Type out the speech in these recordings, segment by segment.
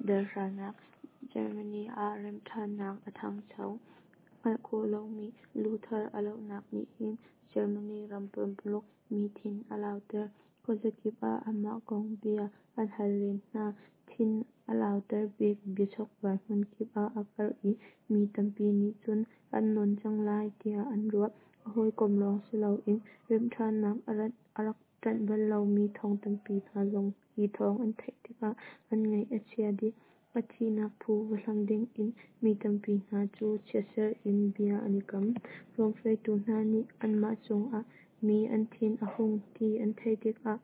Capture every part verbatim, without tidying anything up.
Dal hranak Germany ah remhṭhannak a ṭhangcho. Hngalh khawh lomi Luther a lohnak nih hin Germany ram pumpuluk mi thin a lauter. Khuazakip ah amah kong bia an hal len hna. Thin a lauter bik biachokvai hmunkip ah a karh i mi tampi nih cun an nawn cang lai tiah an ruah. A hawikom lawng si loin remhṭhannak a rak ṭanh bal lomi thong tampi hna zong hi thawng an theih tikah an ngaih a chia dih. A thihnak phu va hlam dingin mi tampi hna cu chiatser in bia an i kam. Rom hruaitu hna nih anmah cungah mi an thin a hung ti an theih tikah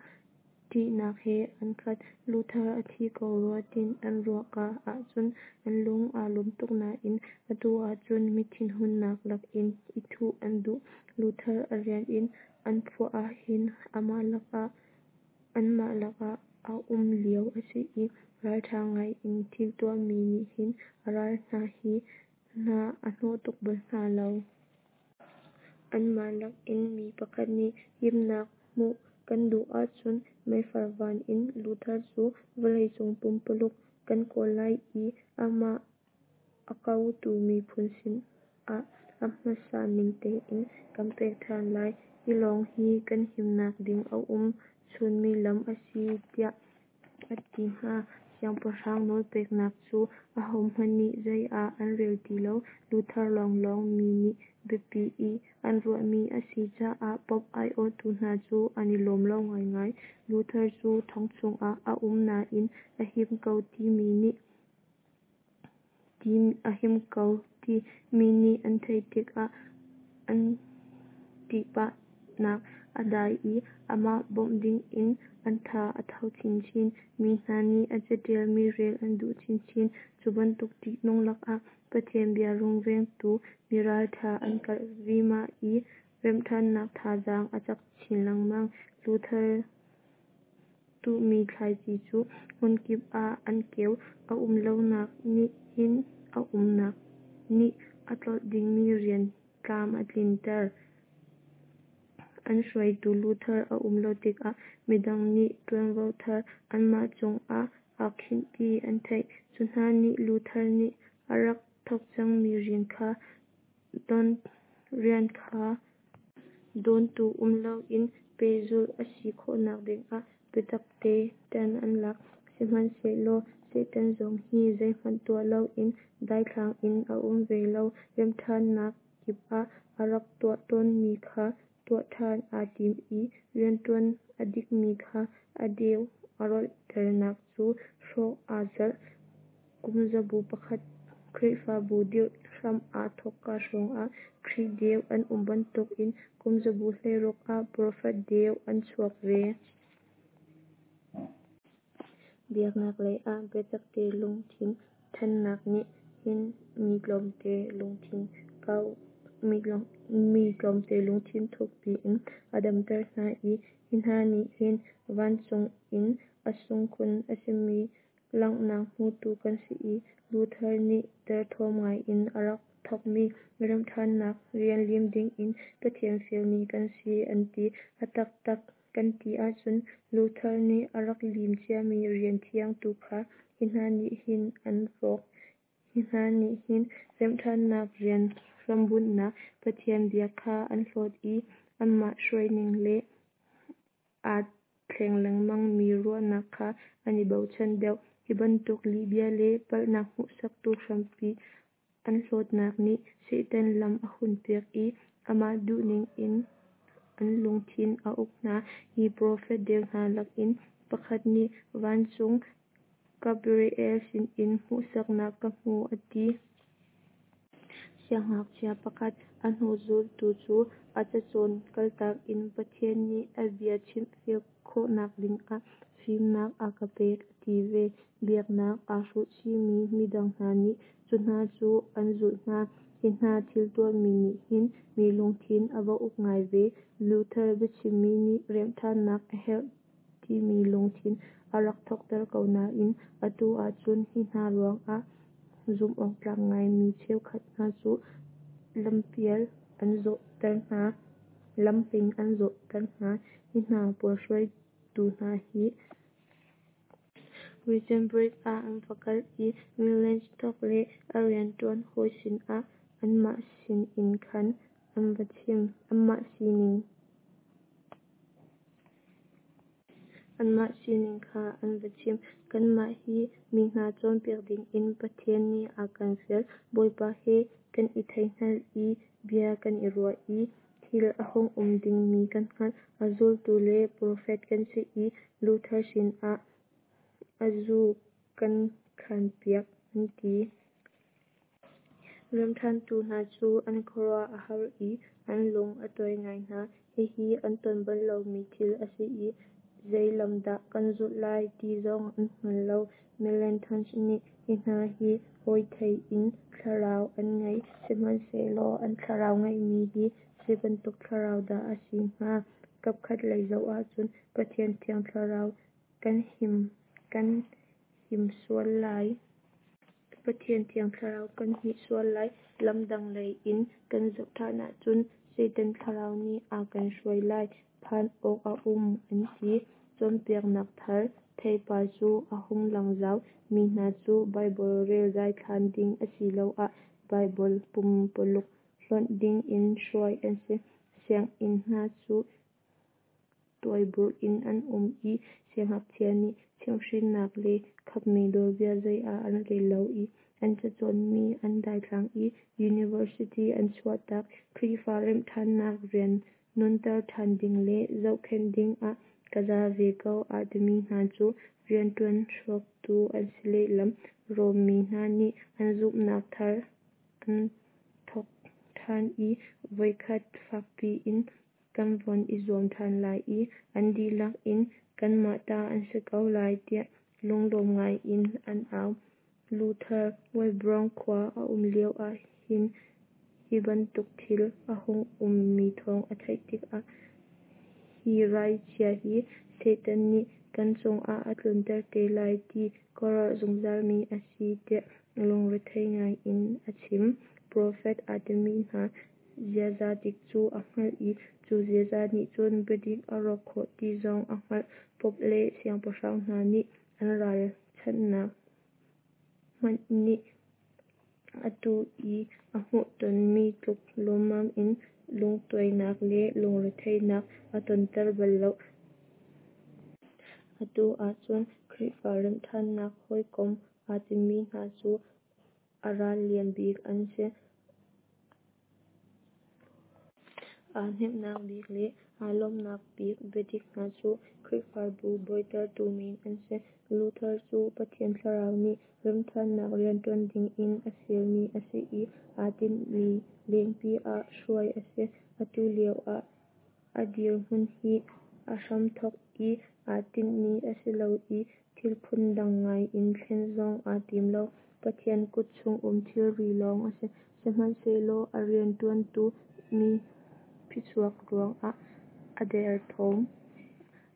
ṭihnak he an khat. Luther a thi ko rua ti'n an ruah ka ahcun an lung aa lawm tuk nain atu ahcun mi thinhunnak lakin i thuh an duh. Luther a rian in an phuah ahhin anmah lakah a um lio a si i ralṭha ngai in thil tuahmi nih hin a ral hna hi hna a hnawh tuk bal hna lo. Anmah lak in mi pakhat nih himnak hmuh kan duh ahcun meifar van in Luther cu vawleicung pumpuluk kan kawl lai i amah a kotu miphun sinah a hmasa ning tein kan pek ṭhan lai. Hi lawng hi kan himnak ding a um chunmi lam a si tiah a ti hna. Siangpahrang nawlpeknak cu ahohmanh nih zei ah an rel ti lo. Luther lawnglawng mi nih biapi i an ruahmi a si caah Pope aiawhtu hna cu an i lawm lo ngaingai. Luther cu thong chungah a um nain a him ko ti mi nih a him ko ti mi nih an theih tikah an ṭihphannak a dai i amah bawmh dingin an tha a tho chinchin. Mi hna nih a caṭialmi rel an duh chinchin. Cu bantuk ṭihnung lakah Pathian bia rungvengtu miralṭha an karh vima i remhṭhannak thazaang a cak chin lengmang. Luther tuhmi thlaici cu hmunkip ah an keu. A um lonak nih hin a umnak nih a tlolh dingmi rian tlam a tlinter. An hruaitu Luther a um lo tikah midang nih ṭuanvo thar anmah cungah aa khinh ti an theih. Cu hna nih Luther nih a rak thawk cangmi rian kha rian kha dawntu um loin pehzulh a si khawhnak dingah biatakte ṭan an lak. Sihmanhsehlaw Satan zong hi zeihmanh tuah loin daithlang in a um ve lo. Remhṭhannak kip ah a rak tuah tawnmi kha tuah ṭhan aa tim i rianṭuan a dikmi kha a deu a rawlternak cu hrawh aa zalh. Kumzabu pakhat Khrihfabu dirh hram aa thawkka hrawngah Khrih deu an um bantukin kumzabu hleiruk ah profet deu an chuak ve. Biaknak lei ah biatakte lungthin ṭhennak nih hin mi tlawmte lungthin kau mi tlawmte lungthin thukpi in a damter hna i hi hna nih hin vancung in a sung khun a simi langhnak hmutu kan si i Luther nih derthawm ngaiin a rak thawkmi remhṭhannak rian lim dingin Pathian fialmi kan si an ti. A taktak kan ti ahcun Luther nih a rak lim ciami rian thiang tu kha hi hna nih hin an rawk. Hi hna nih hin remhṭhannak rian hrambunhnak Pathian bia kha an hlawt i anmah hruaining le aa thleng lengmangmi ruahnak kha an i bochan deuh. Hi bantuk lihbia le palhnak hmuhsaktu hrampi an hlawtnak nih Satan lam a hunpiak i amah duhning in an lungthin a uk hna. Hi profet deu hna lakin pakhat nih vancung Gabriel sinin hmuhsaknak ka hmu a ti. Siangngakchia pakhat a hnu zultu cu a cacawn kaltak in Pathian nih a bia chimfiak khawhnak dingah fimnak a ka pek a ti ve. Biaknak aa hruhchihmi midang hna nih cu hna cu an zulh hna. Hi hna thil tuahmi nih hin mi lungthin a va uk ngai ve. Luther biachimmi nih remhṭhannak a herh timi lungthin a rak thawhter ko nain atu ahcun hi hna ruangah zumhawktlak ngaimi cheukhat hna cu lampial an zawhter hna. Lamping an zawhter hna. Hi hna pawl hruaitu hna hi Wittenberg ah an va kal i Melanchthon le a rianṭuan hawi sinah anmah sining kha an va chim. Anmah sining kha an va chim. Kanmah hi mi hna cawnpiak dingin Pathian nih a kan fial. Bawipa he kan i theihngal i bia kan i ruah i thil a hung um dingmi kan hngalh. A zultu le profet kan si i Luther sinah a zu kan khanpiak, an ti. Remhṭhantu hna cu an khuaruah a har i an lung a tuai ngai hna. Hihi an ton bal lomi thil a si i zei lam dah kan zulh lai ti zong an hngal lo. Melanchthon nih, "Hi hna hi hawi theih in thlarau an ngei, sihmanhsehlaw an thlarau ngeihmi hi zei bantuk thlarau dah a si hnga? Kapkhat lei zoh ahcun Pathian Thiang Thlarau kan hnim sual lai. Pathian Thiang Thlarau kan hmih sual lai. Lam dang lei in kan zoh ṭhan ahcun Satan thlarau nih a kan hruai lai phan awk a um," an ti. Cawnpiaknak thar theipar cu a hung lang zau. Mi hna cu Baibal rel daithlan ding asiloah Baibal pumpululh hlonh dingin hruai an si. Sianginn hna cu tuaiburh in an um i siangngakchia nih chimhhrinnak le khapmi nawlbia zei ah an rel lo i an cacawnmi an daithlang i University an chuahtak. Khrihfa Remhṭhannak rian nunter ṭhan ding le zohkhenh dingah ka za ve ko aa timi hna cu rianṭuan hrawktu an si lehlam. Rom mi hna nih an zumhnak thar an thawk ṭhan i voikhat fakpi in kan von i zuam ṭhan lai i an dihlak in kanmah ta an si ko lai tiah lunglawm ngai in an au. Luther Wittebrug khua a um lio ah hin hi bantuk thil a hung ummi thawng a theih tikah hi rai chia hi Satan nih kan cungah a tlunter te lai ti ka ruah zungzalmi a si tiah lungrethei ngai in a chim. Profet aa timi hna ziaza dik cu a hngalh i cu ziaza nih cun biadik a hrawh khawh ti zong a hngalh. Pope le siangpahrang hna nih an ralchanhnak hmanh nih atu i a hmuhtonmi tluk lawmmam in lungtuainak le lungretheihnak a tonter bal lo. Atu ahcun Khrihfa Remhṭhannak hawikom aa timi hna cu a ral lian bik an si. Aa hnemhnak bik le aa lawmhnak bik biadik hna cu Khrihfabu buaitertu men an si. Luther cu Pathian Thlarau nih remhṭhannak rianṭuan dingin a fialmi a si i aa tinhmi lengpi ah hruai a si. Atu lio a dirhmun hi a hramthawk i aa tinhmi a si lo i thil phundang ngai in thlen zong aa tim lo. Pathian kut chung um thilri lawng a si. Sihmanhsehlaw a rianṭuanmi phichuak ruangah a derthawm.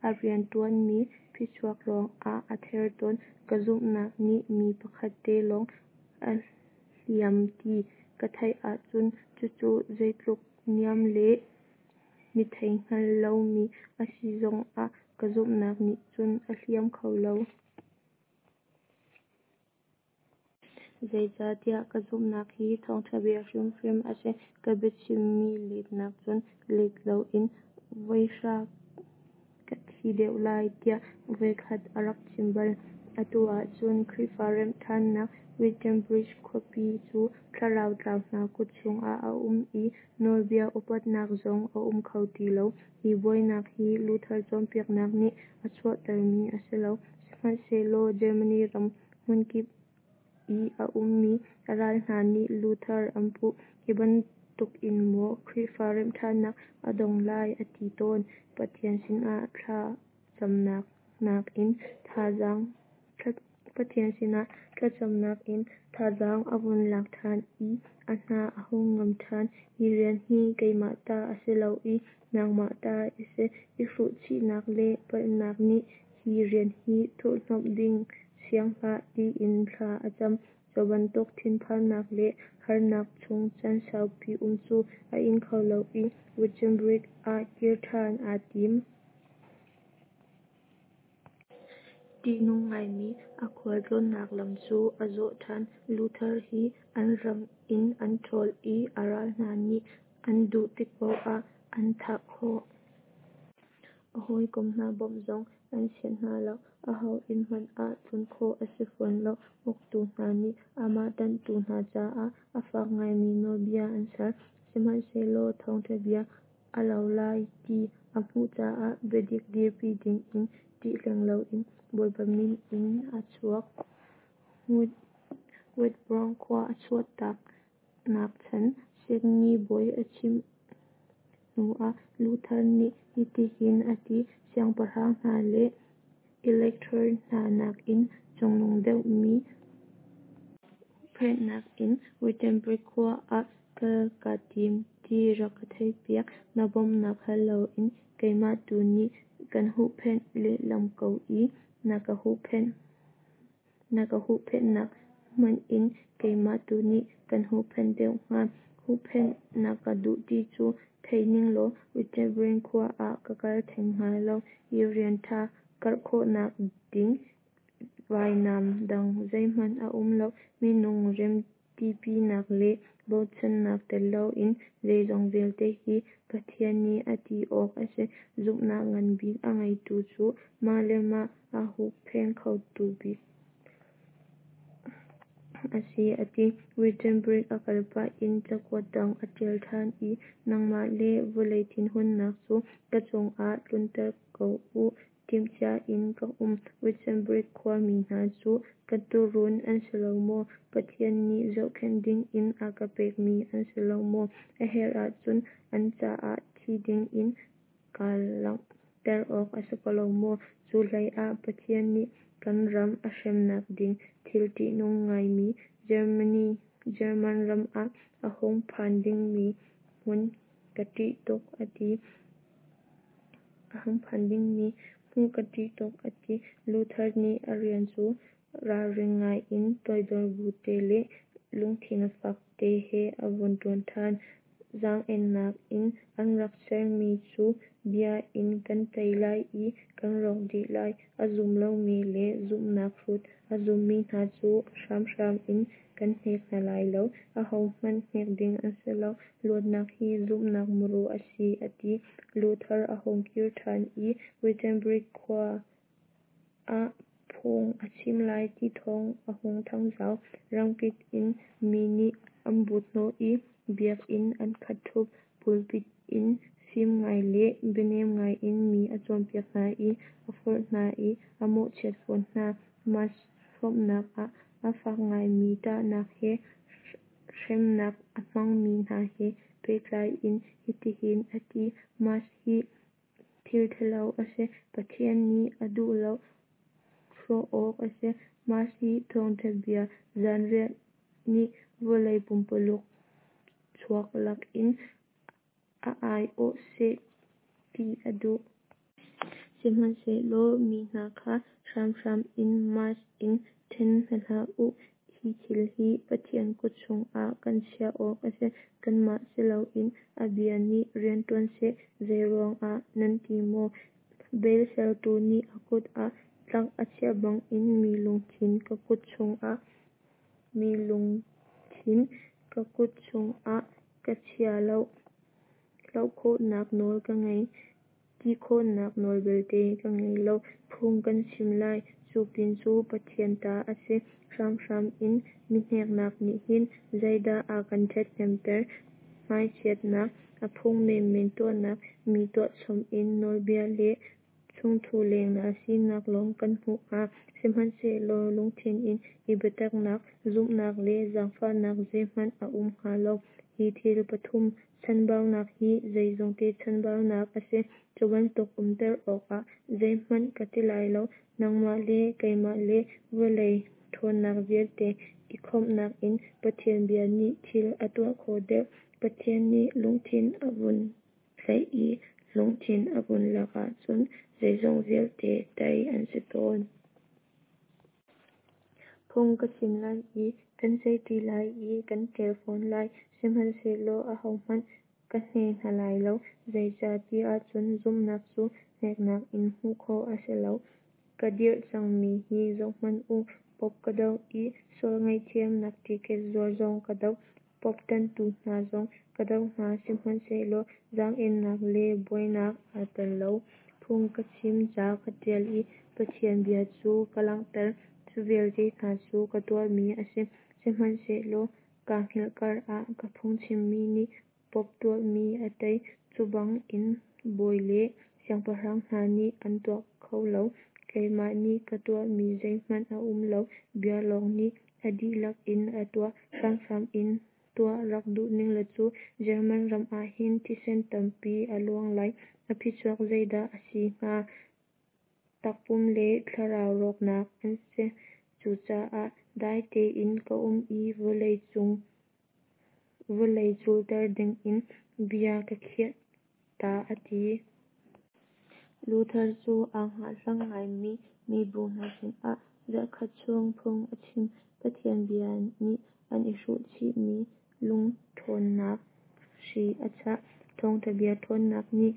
A rianṭuanmi phichuak ruangah a thertawn. Ka zumhnak nih mi pakhat te lawng a hliam ti ka theih ahcun cucu zeitluk niam le mitheihngal lomi a si zongah ka zumhnak nih cun a hliam kho lo. Zeicatiah ka zumhnak hi thawngṭha bia hrimhrim a si. Ka biachimmi let nakcun let loin voihra ka thi deuh lai tiah voikhat a rak chim bal. Atu ahcun Khrihfa Remhṭhannak Wittenberg khuapi cu thlarau tlau hna kut chungah a um i nawlbia upatnak zong a um kho ti lo. Hi buainak hi Luther cawnpiaknak nih a chuahtermi a si lo. Sihmanhsehlaw Germany ram hmunkip i a ummi a ral hna nih Luther an puh. Hi bantukin maw Khrihfa Remhṭhannak a dong lai a ti tawn. Pathian sinah thlacamnak in thazaang a vun lak ṭhan i a hna a hung ngam ṭhan. Hi rian hi keimah ta a si lo i nangmah ta a si. I hruhchihnak le palhnak nih hi rian hi thurhhnawmh ding siang hlah, tiin thla a cam. Cu bantuk thinphannak le harnak chung caan saupi um cu a ing kho lo i Wittenberg ah kir ṭhan aa tim. Ṭihnung ngaimi a khualtlawnnak lam cu a zawh ṭhan. Luther hi an ram in an ṭhawl i a ral hna nih an duh tik paoh ah an thah khawh. A hawikom hna bawmh zong an sianh hna lo. Aho inn hmanh ah tlun khawh a si fawn lo. Uktu hna nih amah ṭanhtu hna caah a fak ngaimi nawlbia an ser. Sihmanhsehlaw thawngṭha bia a lo lai ti a hmuh caah biadik dirpi dingin ṭih hleng loin Bawipa min in a chuak. Witblong khua a chuahtak nak chan Signi bawi a chimh hnu ah Luther nih hitihin a ti: "Siangpahrang hna le Elector hna nakin cungnung deuhmi huhphenhnak in Wittenberg khua ah kal kaa tim ti rak ka theihpiak. Na bawmhnak hal loin keimah tu nih kan huhphenh lehlam ko i na ka huhphenh na ka huhphenhnak hmanh in keimah tu nih kan huhphenh deuh hnga. Huhphenh na ka duh ti cu thei ninglaw Wittenberg khua ah ka kal theng hnga lo. Hi rian ṭha karh khawhnak ding vainam dang zeihmanh a um lo. Minung remtipinak le bochannak tel loin zeizong vialte hi Pathian nih a ti awk a si. Zumhnak nganbik a ngeitu cu mah le mah aa huppheng khotu bik a si, a ti. Wittenberg a kal pah in cakuat dang a ṭial ṭhan i nangmah le vawlei thinhunnak cu ka cungah tlunter ko u, timhcia in ka um. Wittenberg khuami hna cu ka tuurun an si lo maw? Pathian nih zohkhenh dingin a ka pekmi an si lo maw? A herh ahcun an caah thi dingin kaa langhter awk a si ko lo maw? Cu hlei ah Pathian nih kan ram a hremnak ding thil ṭihnung ngaimi Germany German ram ah a hung phan dingmi hmuh ka ṭih tuk, a ti. A hung phan dingmi hmuh ka ṭih tuk, a ti. Luther nih a rian cu ralring ngaiin toidor bu te le lungthin fak te he a vun ṭuan ṭhan. Zaang-ennak in an rak sermi cu bia in kan tei lai i kan rawk dih lai. A zum lomi le zumhnak hrut a zummi hna cu hramhram in kan hnek hna lai lo. Ahohmanh hnek ding an si lo. Luatnak hi zumhnak muru a si, a ti. Luther a hung kir ṭhan i Wittenberg khua ah phung a chim lai ti thawng a hung thangzau. Ramkip in mi nih an but hnawh i biakinn an khat ṭhup. Pulpit in fim ngai le bianem ngai in mi a cawnpiak hna i a forh hna i a mawhchiat fawn hna. Mass hrawmnak ah a fak ngaimi ṭahnak he hremnak a hmangmi hna he pehtlai in hitihin a ti: Mass hi thil ṭhalo a si. Pathian nih a duh lo. Hrawh awk a si. Mass hi thawngṭha bia zanriah nih vawlei pumpululuk chuak lakin a aiawh seh ti a duh. Sihmanhsehlaw mi hna kha hramhram in Mass in ṭhen hna hlah u. Hi thil hi Pathian kut chungah kan chiah awk a si. Kanmah si loin a bia nih rianṭuan seh. Zeiruangah nan ti maw? Bel sertu nih a kut ah tlak a chiah bangin mi lungthin ka kut chungah mi lungthin ka kut chungah ka chia lo. Hloh khawhnak nawl ka ngei, ti khawhnak nawl belte ka ngei lo. Phung kan chim lai, cu pin cu Pathian ta a si. Hramhram in mi hneknak nih hin zeidah a kan ṭhathnemter? Hmaichiatnak, a phung menmen tuahnak, mi tuahchom in nawlbia le chungthu lengnal sinak lawng kan hmuh hnga. Sihmanhsehlaw lungthin in i biataknak, zumhnak le zaangfahnak zeihmanh a um hnga lo. Hi thil pathum chanbaunak hi zeizongte chanbaunak a si. Cu bantuk umter awkah zeihmanh ka ti lai lo. Nangmah le keimah le vawlei ṭhawnnak vialte i khawmhnak in Pathian bia nih thil a tuah khawh deuh. Pathian nih lungthin a vun tlaih i lungthin a vun lak ahcun zeizong vialte tei an si tawn. Phung ka chim lai i kan ceihṭi lai i kan ṭial fawn lai, sihmanhsehlaw ahohmanh ka hne hna lai lo. Zeicah ti ahcun zumhnak cu hneknak in hmuh khawh a si lo. Ka dirh cangmi hi zohhmanh u. Pope ka doh i sual ngaihthiamnak ticket zuar zong ka doh. Pope ṭanhtu hna zong ka doh hna, sihmanhsehlaw zaang-ennak le buainak aa tel lo. Phung ka chim, ca ka ṭial i Pathian bia cu ka langhter. Cu vialte hna cu ka tuahmi a si, sihmanhsehlaw kaa hngilh karah ka phungchimmi nih Pope tuahmi a tei, cu bangin bawi le siangpahrang hna nih an tuah kho lo. Keimah nih ka tuahmi zeihmanh a um lo, bia lawng nih a dihlak in a tuah. Hramhram in tuah rak duh ninglaw cu German ram ah hin thisen tampi a luang lai. A phichuak zeidah a si hnga? Takpum le thlarau rawknak an si. Cucaah dai tein ka um i vawlei culter dingin bia ka khiah ta a ti. Luther cu aa hngahhlang ngaimi mibu hna sinah zarhkhat chung phung a chim. Pathian bia nih an i hruh chihmi lungṭhawnnak hri a chah. Thawngṭha bia ṭhawnnak nih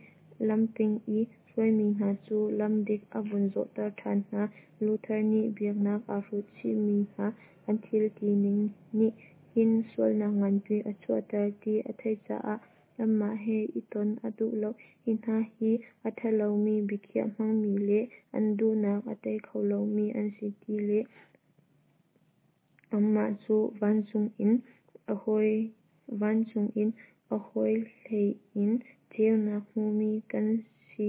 lamping i hruaimi hna cu lam dik a vun zawhter ṭhan hna. Luther nih biaknak aa hruh chihmi hna an thil tining nih hin sualnak nganpi a chuahter ti a theih caah anmah he i ton a duh lo. Hi hna hi a ṭhalomi biakhiah hmangmi le an duhnak a tei kho lomi an si ti le anmah cu vancung in a hawihlei in ceunak hmumi kan si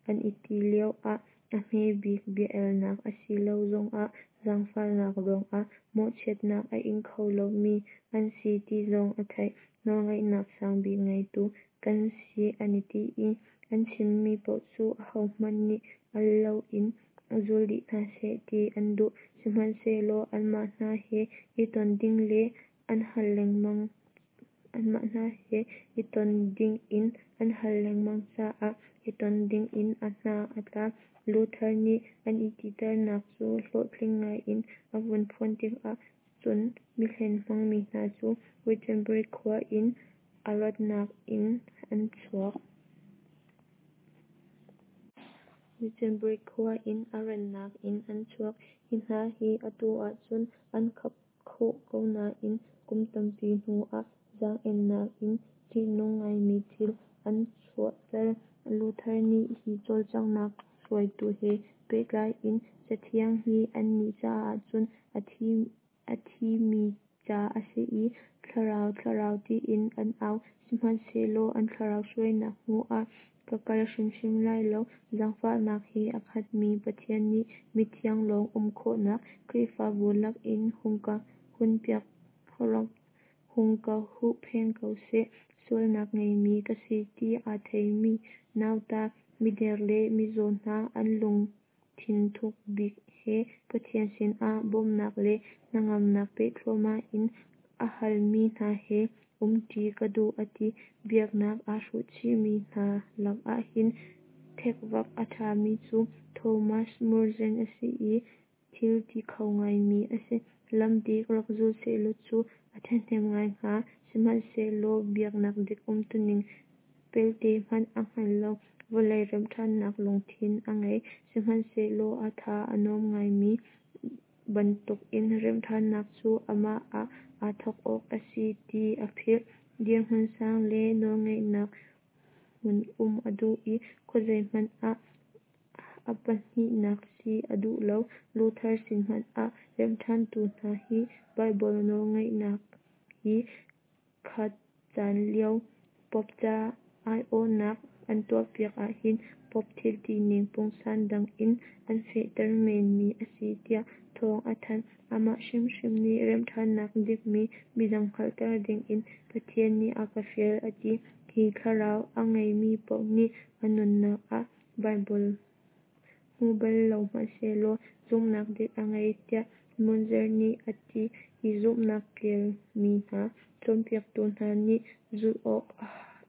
an i ti lioah a hmebik bia-elnak a si lo zongah zaangfahnak ruangah mawhchiatnak a ing kho lomi an si ti zong a theih. Nawlngeihnak sangbik ngeitu kan si an i ti i an chimmi paoh cu ahohmanh nih al loin zul dih hna seh ti an duh. Sihmanhsehlaw anmah hna he i ton ding le an hal lengmang anmah hna he i ton dingin an hal lengmang caah i ton dingin a hna a tla. Luther nih an i titernak cu hlawhtling ngaiin a vun phuan tikah cun mihlen hmangmi hna cu Wittenberg khua in a rannak in an chuak. Wittenberg khua in a rannak in an chuak. Hi hna hi atu ahcun an khap khawh ko nain kum tampi hnuah zaang-ennak in ṭihnung ngaimi thil an chuahter. Luther nih hi cawlcanghnak hruaitu he pehtlai in Cathiang hi annih caah cun a thimi ca a si i thlarau thlarau tiin an au, sihmanhsehlaw an thlarau hruainak hnu ah ka kal hrimhrim lai lo. Zaangfahnak he a khatmi Pathian nih mithiang lawng um khawhnak Khrihfabu lakin hung ka hunpiak hung ka huhphenh ko seh. Sualnak ngeimi ka si ti aa theimi nauta, mider le mizaw hna an lungthin thuk bik he Pathian sinah bawmhnak le hnangamnak pe thluahmah in a halmi hna he umṭi ka duh a ti. Biaknak aa hruh chihmi hna lakah hin ṭhekvak a ṭhami cu Thomas Murzen a si i thil ti kho ngaimi a si. Lam dik rak zul sehlaw cu a ṭhahnem ngai hnga. Sihmanhsehlaw biaknak dik umtuning pelte hmanh a hngal lo. Vawlei remhṭhatnak lungthin a ngei. Sihmanhsehlaw a tha a nuam ngaimi bantukin remhṭhatnak cu amah ah aa thawk awk a si ti a philh. Dirhmun sang le nawlngeihnak hmun um a duh i khuazei hmanh ah a pahnihnak si a duh lo. Luther sin hmanh ah remhṭhantu hna hi Baibal nawlngeihnak hi kha caan lio Pope ca aiawhnak an tuahpiak ahhin Pope thil tining pungsan dang in an fehter menmi a si tiah thawng a thanh. Amah hrimhrim nih remhṭhannak dikmi midang hngalhter dingin Pathian nih a ka fial a ti. Hi thlarau a ngeimi paoh nih a nunnak ah Baibal hmu bal lo hmanhsehlaw zumhnak dik a ngei tiah Munzer nih a ti. Hi zumhnak kelmi hna cawnpiaktu hna nih zulh awk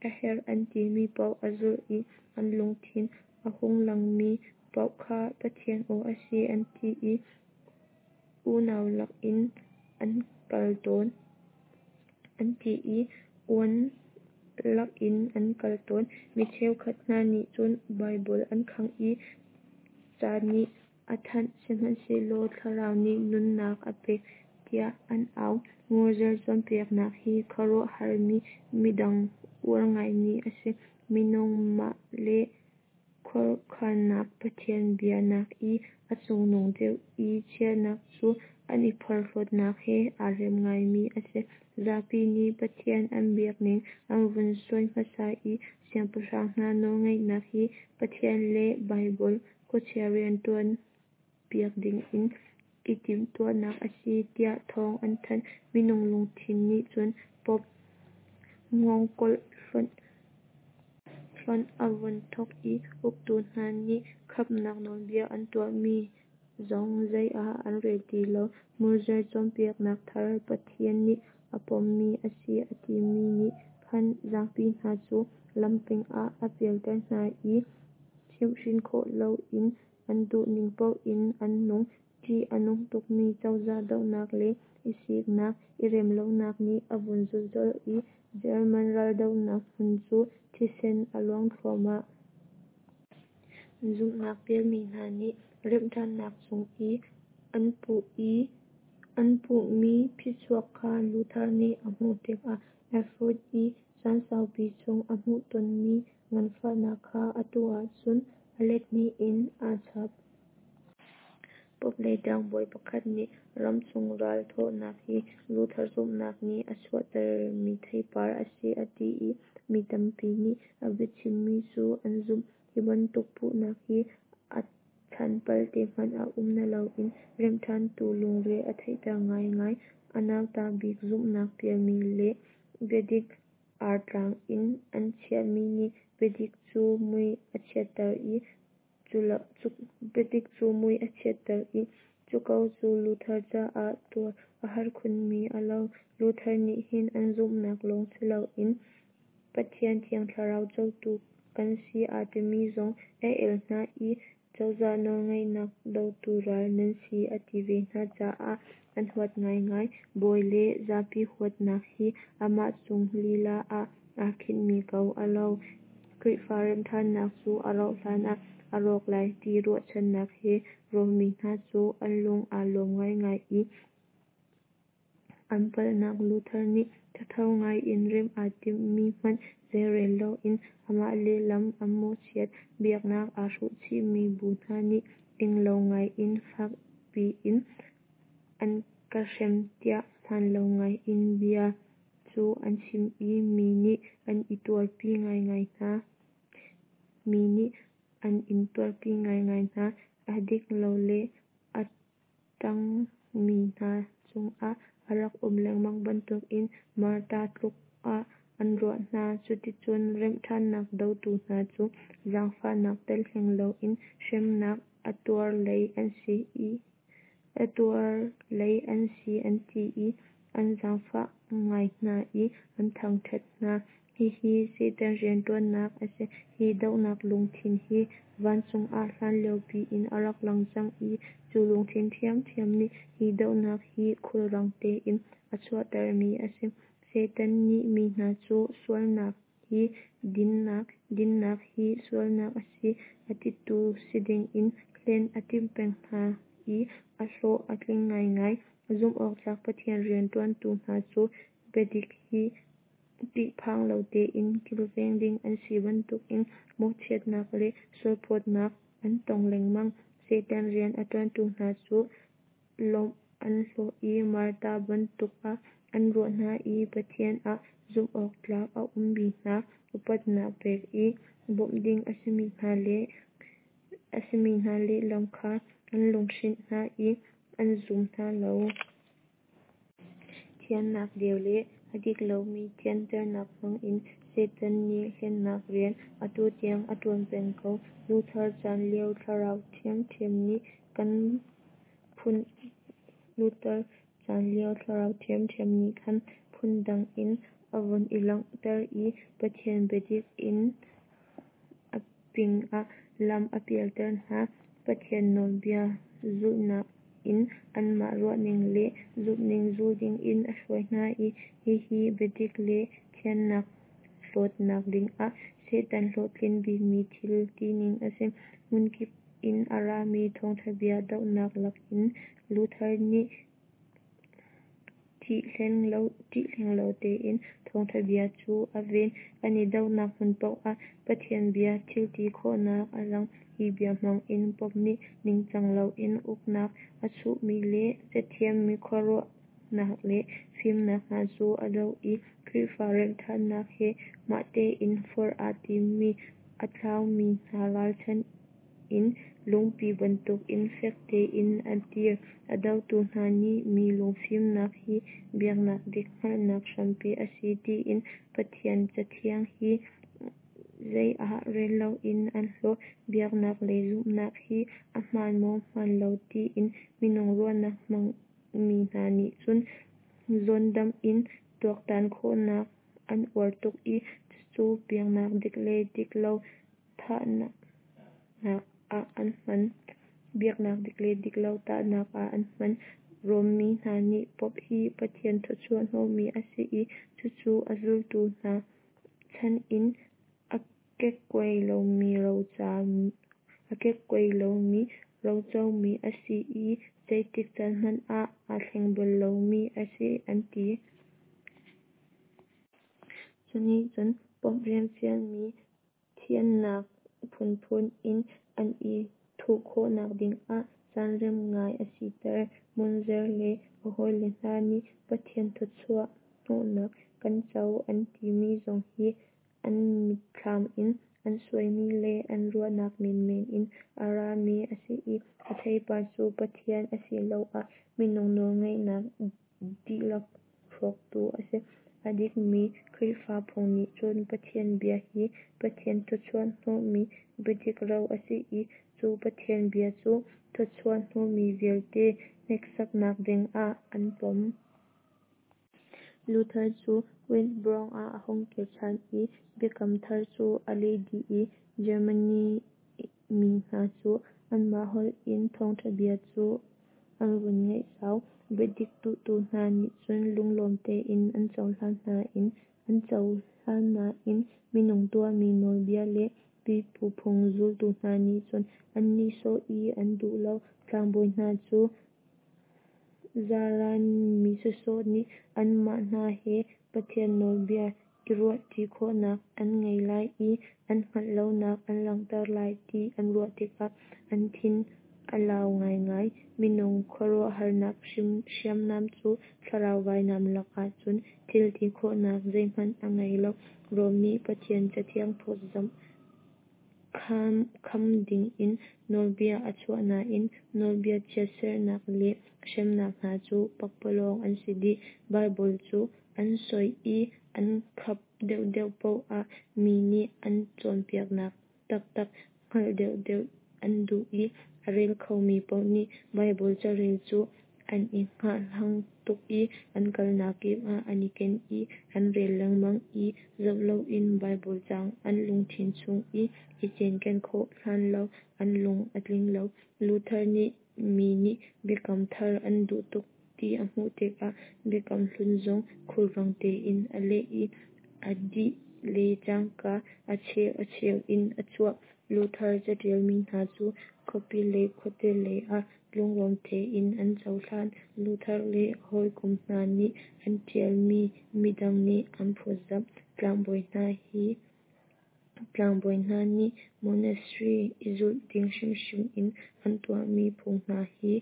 a herh an timi paoh a zulh i an lungthin a hung langmi paoh kha Pathian aw a si an ti i unau lakin an kal tawn. An ti i uan lakin an kal tawn. Mi cheukhat hna nih cun Baibal an khangh i ca nih a that, sihmanhsehlaw Thlarau nih nunnak a pek, tiah an au. Moses cawnpiaknak hi khuaruahharmi midang uar ngaimi a si. Minung mah le khuakhannak Pathian bia nak i a cungnung deuh i chiahnak cu an i porhlawtnak he aa rem ngaimi a si. Zapi nih Pathian an biakning an vun sawi hmasa i siangpahrang hna nawlngeihnak hi Pathian le Baibal khuachia rianṭuan piak dingin i timhtuahnak a si, tiah thawng an thanh. Minung lungthin nih cun Pope hngawngkawl hlonh a vun thawk i uktu hna nih khamnak nawlbia an tuahmi zong zei ah an rel ti lo. Moses cawnpiaknak thar Pathian nih a pommi a si a timi nih khan zapi hna cu lamping ah a pialter hna i chimhhrin khawh loin an duhning paoh in an nung. Ṭih a nung tukmi cozah dohnak le i siknak, i remlonak nih a vun zulh colh i German raldohnak hmun cu thisen a luang thluahmah. Zumhnak pialmi hna nih remhṭhannak cung i an hmuhmi phichuak kha Luther nih a hmuh tikah Erfurt i caan saupi chung a hmuhtonmi nganfahnak kha atu ahcun a lethnih in aa chap. Pope lei ṭangbawi pakhat nih ramchung ral thawhnak hi Luther zumhnak nih a chuahtermi theipar a si a ti i mi tampi nih a biachimmi cu an zumh. Hi bantuk puhnak hi a chan palte hmanh a um naloin remhṭhantu lungre a theihter ngaingai. A nauta bik zumhnak pialmi le biadik artlang in an chiahmi nih biadik cu mui a chiatter i biadik cu mui a chiatter i cu ko cu Luther caah tuar a har khunmi a lo. Luther nih hin an zumhnak lawng siloin Pathian Thiang Thlarau cotu kan si aa timi zong a el hna i cozah nawlngeihnak dotu ral nan si a ti ve hna caah an huat ngaingai. Bawi le zapi huatnak hi amah cung lila ah aa khinhmi ko a lo. Khrihfa remhṭhannak cu a rauh hlan ah a rawk lai ti ruahchannak he Rom mi hna cu an lung aa lawm ngaingai i an palhnak Luther nih thatho ngaiin remh aa timhmi hmanh zeirel loin amah lehlam an mawhchiat. Biaknak aa hruhchihmi bu hna nih ing lo ngaiin fak piin an ka hrem tiah hmaan lo ngaiin bia cu an chim i mi nih an i tuarpi ngaingai hna. Mi nih an in tuarpi ngaingai hna. A dik lo le a ṭangmi hna cungah a rak um lengmang bantukin martar tluk ah an ruah hna. Cuticun remhṭhannak dotu hna cu zaangfahnak tel hleng loin hremnak a tuar lei an si i a tuar lei an si an ti i an zaangfah ngai hna i an thangṭhat hna. Hihi Satan rianṭuannak a si. Hi dohnak lungthin hi vancung ah hlanlio piin a rak lang cang i cu lungthin ṭhiamṭhiam nih hi dohnak hi khulrang tein a chuahtermi a si. Satan nih mi hna cu sualnak hi dinnak, dinnak hi sualnak a si a titu si dingin hlen a timh peng hna i a hlawh a tling ngaingai. Zumhawktlak Pathian rianṭuantu hna cu biadik hi ṭihphang lo tein kilveng ding an si bantukin mawhchiatnak le sualphawtnak an tong lengmang. Satan rian a ṭuantu hna cu lawmh an hlawh i martar bantuk ah an ruah hna i Pathian ah zumhawktlak a ummi hna upatnak pek i bawmh ding a simi hna le a simi hna lehlam kha an lunghrinh hna i an zum hna lo. Thiannak deu le a dik lomi thianternak hmangin Satan nih hlennak rian atu tiang a ṭuan peng ko. Luther chan lio thlarau ṭhiamṭhiam nih kan phun Luther chan lio thlarau ṭhiamṭhiam nih khan phundang in a vun i langhter i Pathian biadik in a pingah lam a pialter hna. Pathian nawlbia zulhnak in anmah ruahning le zumhning zul dingin a hruai hna i hihi biadik le thiannak hlawtnak dingah Satan hlawhtlin bikmi thil tining a si. Hmunkip in a rami thawngṭhabia dohnak lak in Luther nih ṭih hleng lo tein thawngṭhabia cu a ven. An i dohnak hmun paoh ah Pathian bia thilti khawhnak a lang. Hi bia hmang in Pope nih ningcang loin uknak a chuhmi le cathiam mi khuaruahnak le fimnak hna cu a doh i Khrihfa remhṭhannak he mah tein forh aa timmi a tlaumi hna ralchanh in lungpi bantukin fek tein a dir. A dotu hna nih mi lungfimnak hi biaknak dik hngalhnak hrampi a si tiin Pathian Cathiang hi zei ah rel loin an hlaw. Biaknak lei zumhnak hi a hmaan maw hmaan lo tiin minung ruahnak hmangmi hna nih cun zawndamh in tuaktan khawhnak an uar tuk i cucu biaknak dik le dik lo tahnak ah an hman. Biaknak dik le dik lo tahnak ah an hman. Rom mi hna nih Pope hi Pathian thawchuah hnawhmi a si i cucu a zultu hna chan in a kekkuai lomi rocomi a si i zeitik caan hmanh ah aa thleng bal lomi a si an ti. Cu nih cun Pope rian fialmi thiannak phunphun in an i thuh khawhnak dingah caan rem ngai a siter. Munzer le a hawile hna nih Pathian thawchuah hnawhnak kan co an timi zong hi an mitthlam in an suaimi le an ruahnak menmen in a rami a si i a theipar cu Pathian asiloah minung nawlngeihnak dihlak hrawktu a si. A dikmi Khrihfa phung nih cun Pathian bia hi Pathian thawchuah hnawhmi biadik ro a si i cu Pathian bia cu thawchuah hnawhmi vialte hneksaknak dingah an pom. Luther cu Wittenberg ah a hung kir ṭhan i Biakam Thar cu a leh dih i Germany mi hna cu anmah holh in thawngṭhabia cu an vun ngeih zau. Biadik duhtu hna nih cun lunglawm tein an cohlan nain minung tuahmi nawlbia le pipu phung zultu hna nih cun an nihsawh i an duh lo. Tlangbawi hna cu zaran mi sawsawh nih anmah hna he Pathian nawlbia i ruahṭi khawhnak an ngei lai i an hngalh lonak an langhter lai ti an ruah tikah an thin a lau ngaingai. Minung khuaruahharnak hriamnam cu thlarau vainam lakah cun thilti khawhnak zeihmanh a ngei lo. Rom nih Pathian Cathiang phawtzamh kham dingin nawlbia a chuah nain nawlbia chiatserhnak le hremnak hna cu pakpalawng an si dih. Baibal cu an soi i an khap deuhdeuh paoh ah mi nih an cawnpiaknak taktak hngalh deuhdeuh an duh i a rel khomi paoh nih Baibal carel cu an i hngahhlang tuk i an kalnak kip ah an i ken i an rel lengmang i zoh loin Baibal caang an lungthin chung i i cinken khawh hlan lo an lung a tling lo. Luther nih mi nih Biakam Thar an duh tuk ti a hmuh tikah Biakam Hlun zong khulrang tein a leh i a dih le cangka a cheu a cheu in a chuah. Luther caṭialmi hna cu khuapi lei khuate lei ah lunglawm tein an cohlan. Luther le a hawikom hna nih an ṭialmi midang nih an phawtzamh. Tlangbawi hna hi Tlangbawi hna nih monastery i zulh ding hrimhrim in an tuahmi phung hna hi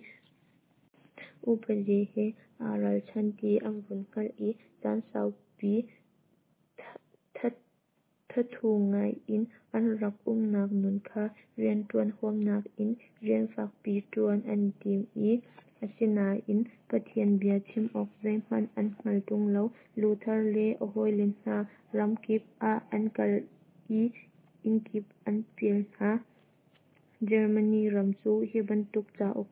upadi he aa ralchan ti an vun hngalh i caan saupi thathu ngai in an rak umnak nun kha rianṭuan huamnak in rian fakpi ṭuan an i tim i asinain Pathian bia chim awk zeihmanh an hngal ṭung lo. Luther le a hawile hna ramkip ah an kal i innkip an pial hna. Germany ram cu hi bantuk cauk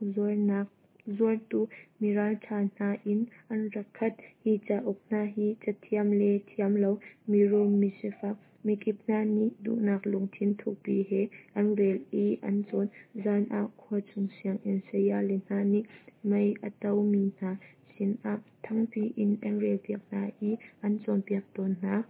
zuartu miralṭha hna in an rak khat. Hi cauk hna hi cathiam le thiam lo, mirum misifak, mikip hna nih duhnak lungthin thukpi he an rel i an cawn. Zan ah khuachung sianginn sayale hna nih mei a tomi hna sinah thangpi in an relpiak hna i an cawnpiak tawn hna.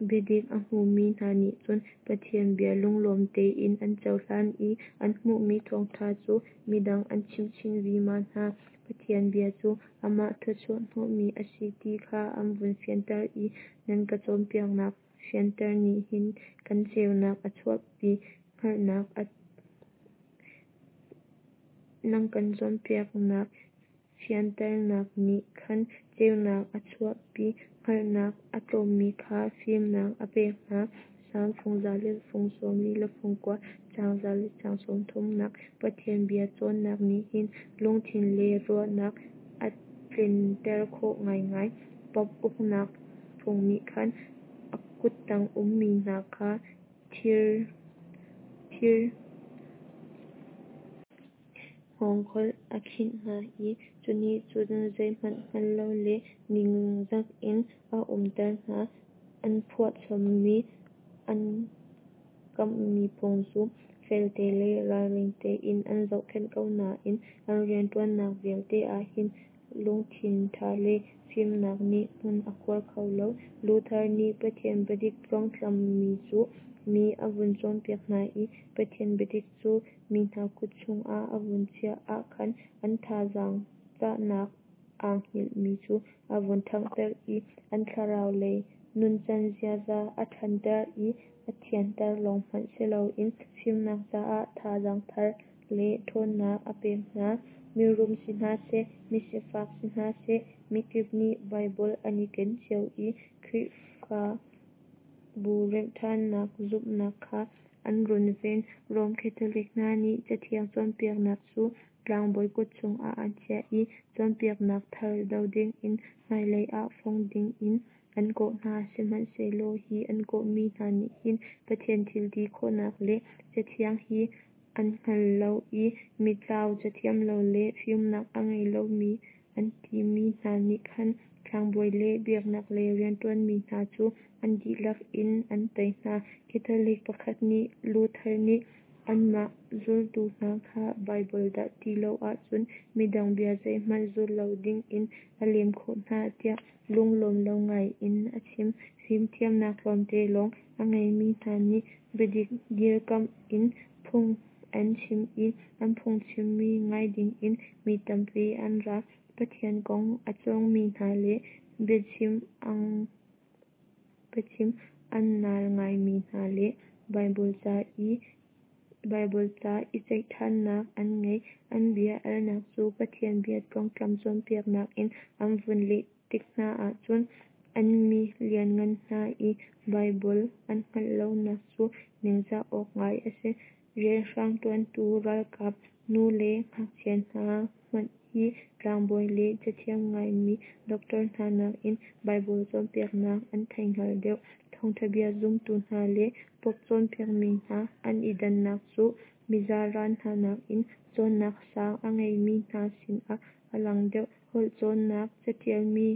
Biadik a hmumi hna nih cun Pathian bia lunglawm tein an cohlan i an hmuhmi thawngṭha cu midang an chimh chin vima hna. Pathian bia cu amah thawchuah hnawhmi a si ti kha an vun fianter i nan kan cawnpiaknak fianter nih hin khan ceunak a chuahpi hngalhnak a nan kan cawnpiaknak fianternak nih khan ceunak a chuahpi, hngalhnak a tlawmmi kha fimnak a pek hna. Salm fung za le fung sawm li le fung kua, caang za le caang sawm thumnak. Pathian bia cawnnak nih hin lungthin le ruahnak a tlenter khawh ngaingai. Pope uknak phung nih khan a kuttang ummi hna kha thir thir hngawngkol a khinh hna i cu nih cun zeihmanh hngal lo le ningzak in a umter hna. An phuahchommi an kamhmi phung cu felte le ralring tein an zohkhenh ko nain an rianṭuannak vialte ah hin lungthin ṭha le fimnak nih hmun a khuar kho lo. Luther nih Pathian biadik tluangtlammi cu mi a vun cawnpiak hna i Pathian biadik cu mi hna kut chungah a vun chiah ah khan an thazaang cahnak aa hngilhmi cu a vun ṭhanghter i an thlarau lei nuncan ziaza a ṭhanter i a thianter lawng hmanh si loin fimnak caah thazaang thar le ṭhawnnak a pek hna. Mirum si hna seh, misifak si hna seh, mikip nih Baibal an i ken cio i Khrihfabu remhṭhannak zumhnak kha an runven. Rom Catholic hna nih Cathiang cawnpiaknak cu tlangbawi kut chungah an chiah i cawnpiaknak thar do dingin hmailei ah fong dingin an kawh hna. Sihmanhsehlaw hi an kawhmi hna nih hin Pathian thil ti khawhnak le Cathiang hi an hngal lo i mitlau, cathiam lo le fimnak a ngei lomi an timi hna nih khan tlangbawi le biaknak lei rianṭuanmi hna cu an dihlak in an tei hna. Catholic pakhat nih Luther nih anmah zultu hna kha Baibal dah ti lo ahcun midang bia zeihmanh zul lo dingin a lem khawh hna tiah lunglawm lo ngai in a chim. Fimthiamnak tlawmte lawng a ngeimi hna nih biadik dirkamh in phung an chim i an phungchimmi ngai dingin mi tampi an ra. Pathian kong a cawngmi hna le biachim biachim a naal ngaimi hna le Baibal ca i Baibal ca i ceih ṭhannak an ngei. An bia alnak cu Pathian bia tluangtlam cawnpiaknak in an vun leh tik hna ahcun an mi lianngan hna i Baibal an hngalh lonak cu ningzah awk ngai a si. Rianhrang ṭuantu ralkap, nu le ngakchia hna hmanh hi tlangbawi le cathiam ngaimi doctor hna nakin Baibal cawnpiaknak an theihngal deuh. Thawngṭha bia zumtu hna le Pope cawnpiakmi hna an i dannak cu mizaran hna nakin cawnnak sang a ngeimi hna sinah a lang deuh. Holh cawnnak, caṭialmi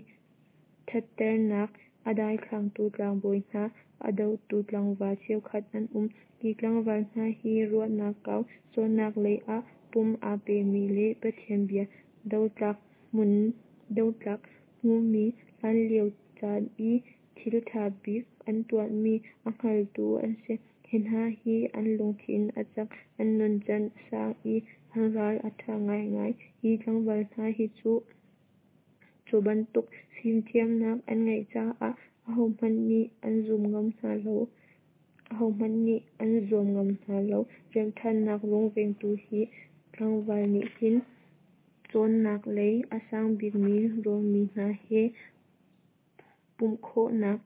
ṭhatternak a daithlangtu tlangbawi hna a dotu tlangval cheukhat an um. Hi tlangval hna hi ruahnak kau, cawnnak lei ah pum aa pemi le Pathian bia dotlak hmun dotlak hmumi, hlanlio caan i thil ṭha bik an tuahmi a hngaltu an si. Hi hna hi an lungthin a cak, an nuncan a sang i an ral a ṭha ngaingai. Hi tlangval hna hi cu cu bantuk fimthiamnak an ngeih caah ahohmanh nih an zum ngam hna lo. Ahohmanh nih an zuam ngam hna lo. Remhṭhannak rungvengtu hi tlangval nih hin cawnnak lei a sang bikmi Rom mi hna he pumhkhawhnak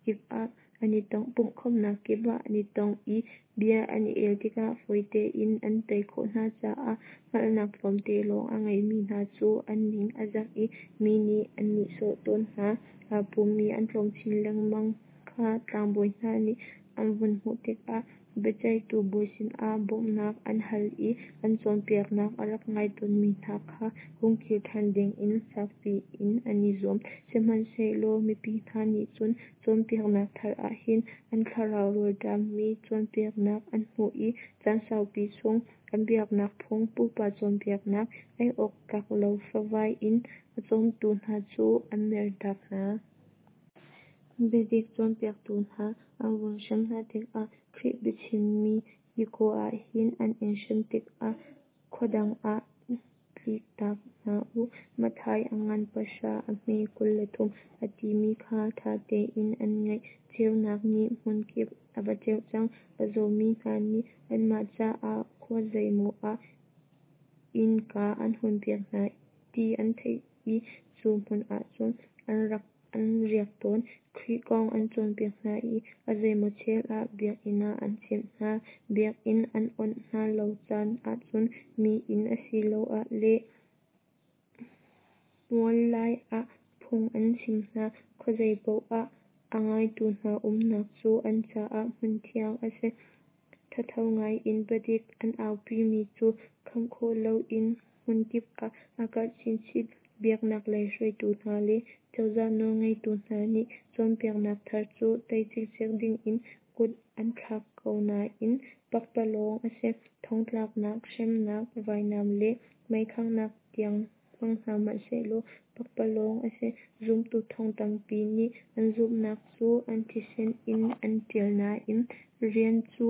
kip ah an i tong. Pumhkhawmhnak kip ah an i tong i bia an i el tikah fawi tein an tei khawh hna caah hngalhnak tlawmte lawng a ngeimi hna cu an ning a zak i mi nih an nihsawh tawn hna. Aa pummi an tlawm chin lengmang kha tlangbawi hna nih an vun hmuh tikah biaceihtu bawi sinah bawmhnak an hal i an cawnpiaknak a rak ngai tawnmi hna kha hung kir ṭhan dingin fakpi in an i zuam. Sihmanhsehlaw mipi hna nih cun cawnpiaknak thar ah hin an thlarau rawlṭammi cawnpiaknak an hmuh i caan saupi chung an biaknak phung, pupa cawnpiaknak, ei awk tlak lo favai in a cawmtu hna cu an mertak hna. Biadik cawnpiaktu hna an vun hrem hna tikah Khrih biachimmi "Hika ah hin an in hrem tikah khua dang ah tliktak hna u (Matthai a ngan pahra a hme kul le thum)" a timi kha ṭha tein an ngaih. Ceunak nih hmunkip a va ceuh cang. A zawmi hna nih anmah caah khua zeimaw ah innka an hunpiak hna ti an theih i cu hmun ah cun an riak tawn. Khrih kong an cawnpiak hna i a zeimaw chel ah biakinn ah an chimh hna. Biakinn an onh hna lo caan ahcun mi inn asiloah le muallai ah phung an chim hna. Khuazei paoh ah a ngaitu hna umnak cu an caah hmunthiang a si. Thatho ngai in biadik an aupimi cu kham khawh loin hmunkip ah a karh chinchin. Biaknak lei hruaitu hna le cozah nawlngeitu hna nih cawnpiaknak thar cu tei cikcek dingin kut an thlak ko nain pakpalawng a si. Thongtlaknak, hremnak, vainam le meikhanghnak tiang hmang hna hmanhsehlaw pakpalawng a si. Zumtu thong tampi nih an zumhnak cu an thisen in an ṭial nain rian cu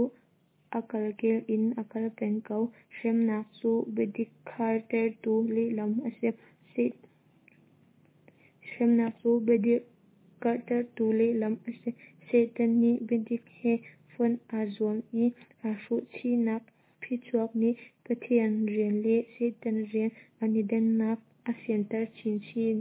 a kalkel in a kal peng ko. Hremnak cu biadik karhtertu lehlam a si. Hremnak cu biadik karhtertu lehlam a si. Satan nih biadik he fonh aa zuam i aa hruhchihnak phichuak nih Pathian rian le Satan rian an i dannak a fianter chinchin.